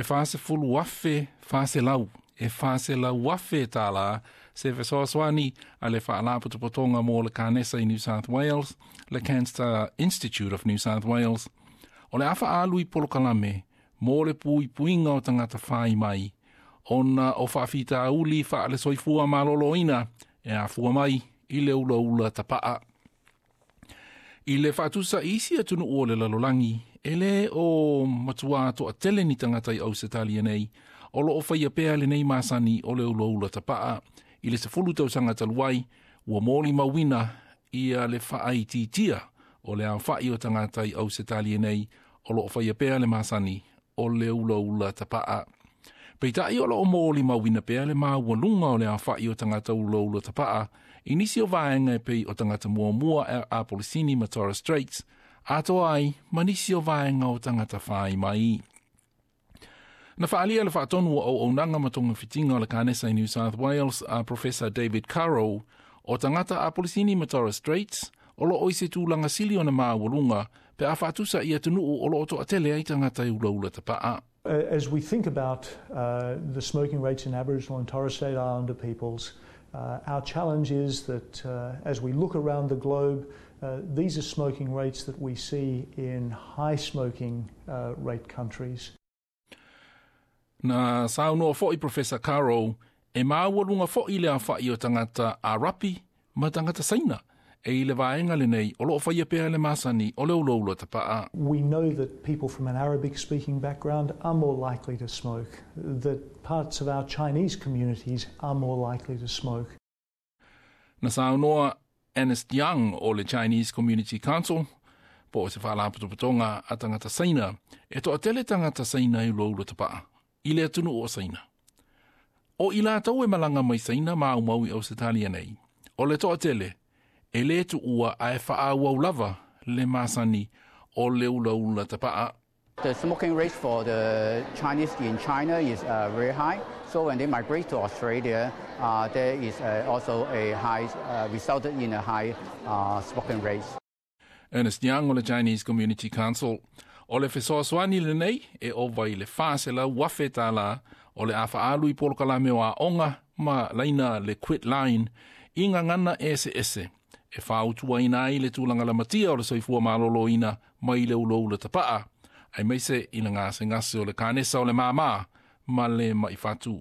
40,400 e 400,000 tālā se fesoasoani a le Faalapotopotoga mo le Kanesa i New South Wales, le Cancer Institute of New South Wales. O le a faaalu i polokalame mo le puipuiga o tagata fai mai ona o faafitauli faale-soifua malōlōina e afua mai i le ulaula tapaa. I le faatusa i isi atunuu o le lalolagi, e lē o matuā toatele ni tagata i Ausetalia nei o loo faia pea lenei masani o le ulaula tapaa. I le 10 tausaga talu ai, ua molimauina ia le faaitiitia o le aofai o tagata i Ausetalia nei o loo faia pea le masani o le ulaula tapaa. Peitai o loo molimauina pea le maualuga o le aofai o tagata ulaula tapaa i nisi o vaega e pei o tagata muamua Apolisini ma Torres Straits, atoa ai ma nisi o vaega o tagata fai mai. Na faalia le faatonu o auaunaga ma togafitiga o le Kanesa i New South Wales a Professor David Currow o tagata Apolisini ma Torres Straits o loo i se tulaga sili ona maualuga pe a faatusa i atunuu o loo toatele ai tagata e ulaula tapaa. As we think about the smoking rates in Aboriginal and Torres Strait Islander peoples, our challenge is that as we look around the globe, these are smoking rates that we see in high smoking rate countries. Na saunoa foʻi Professor Caro e maualuga foʻi le aofaʻi o tagata Arapi ma tagata Saina e i le vaega lenei o loo faia pea le masani o le ulaula tapaa. We know that people from an Arabic speaking background are more likely to smoke, that parts of our Chinese communities are more likely to smoke. Na saunoa Ernest Young o le Chinese Community Council po o se faalapotopotoga a tagata Saina e toatele tagata Saina i ulaula tapaa i le atunuu o Saina. O i latou e malaga mai Saina ma aumau i Ausetalia nei. O le toatele, e lē tuua ae faaauau lava le masani o le ulaula tapaa. The smoking rate for the Chinese in China is very high. So when they migrate to Australia, there is also a high, resulted in a high smoking rate. Ernest Young o le Chinese Community Council. O le fesoasoani lenei e ova i le 400,000 tālā o le a faaalu i polokalame o aoga ma laina le Quit Line i gagana eseese e fautuaina ai le tulaga lamatia o le soifua malōlōina mai le ulaula tapaa aemaise i le gasegase o le kanesa o le māmā ma le mai fatu.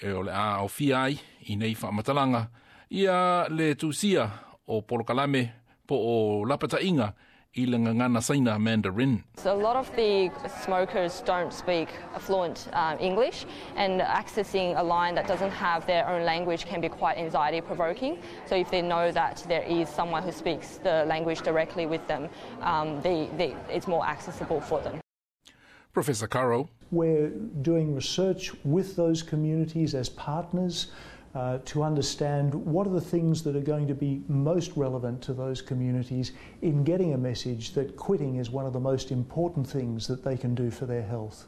E o le a aofia ai i nei faamatalaga ia le tusia o polokalame po o lapataiga i le gagana Saina Mandarin. So a lot of the smokers don't speak fluent English, and accessing a line that doesn't have their own language can be quite anxiety provoking. So if they know that there is someone who speaks the language directly with them, it's more accessible for them. Professor Caro. We're doing research with those communities as partners to understand what are the things that are going to be most relevant to those communities in getting a message that quitting is one of the most important things that they can do for their health.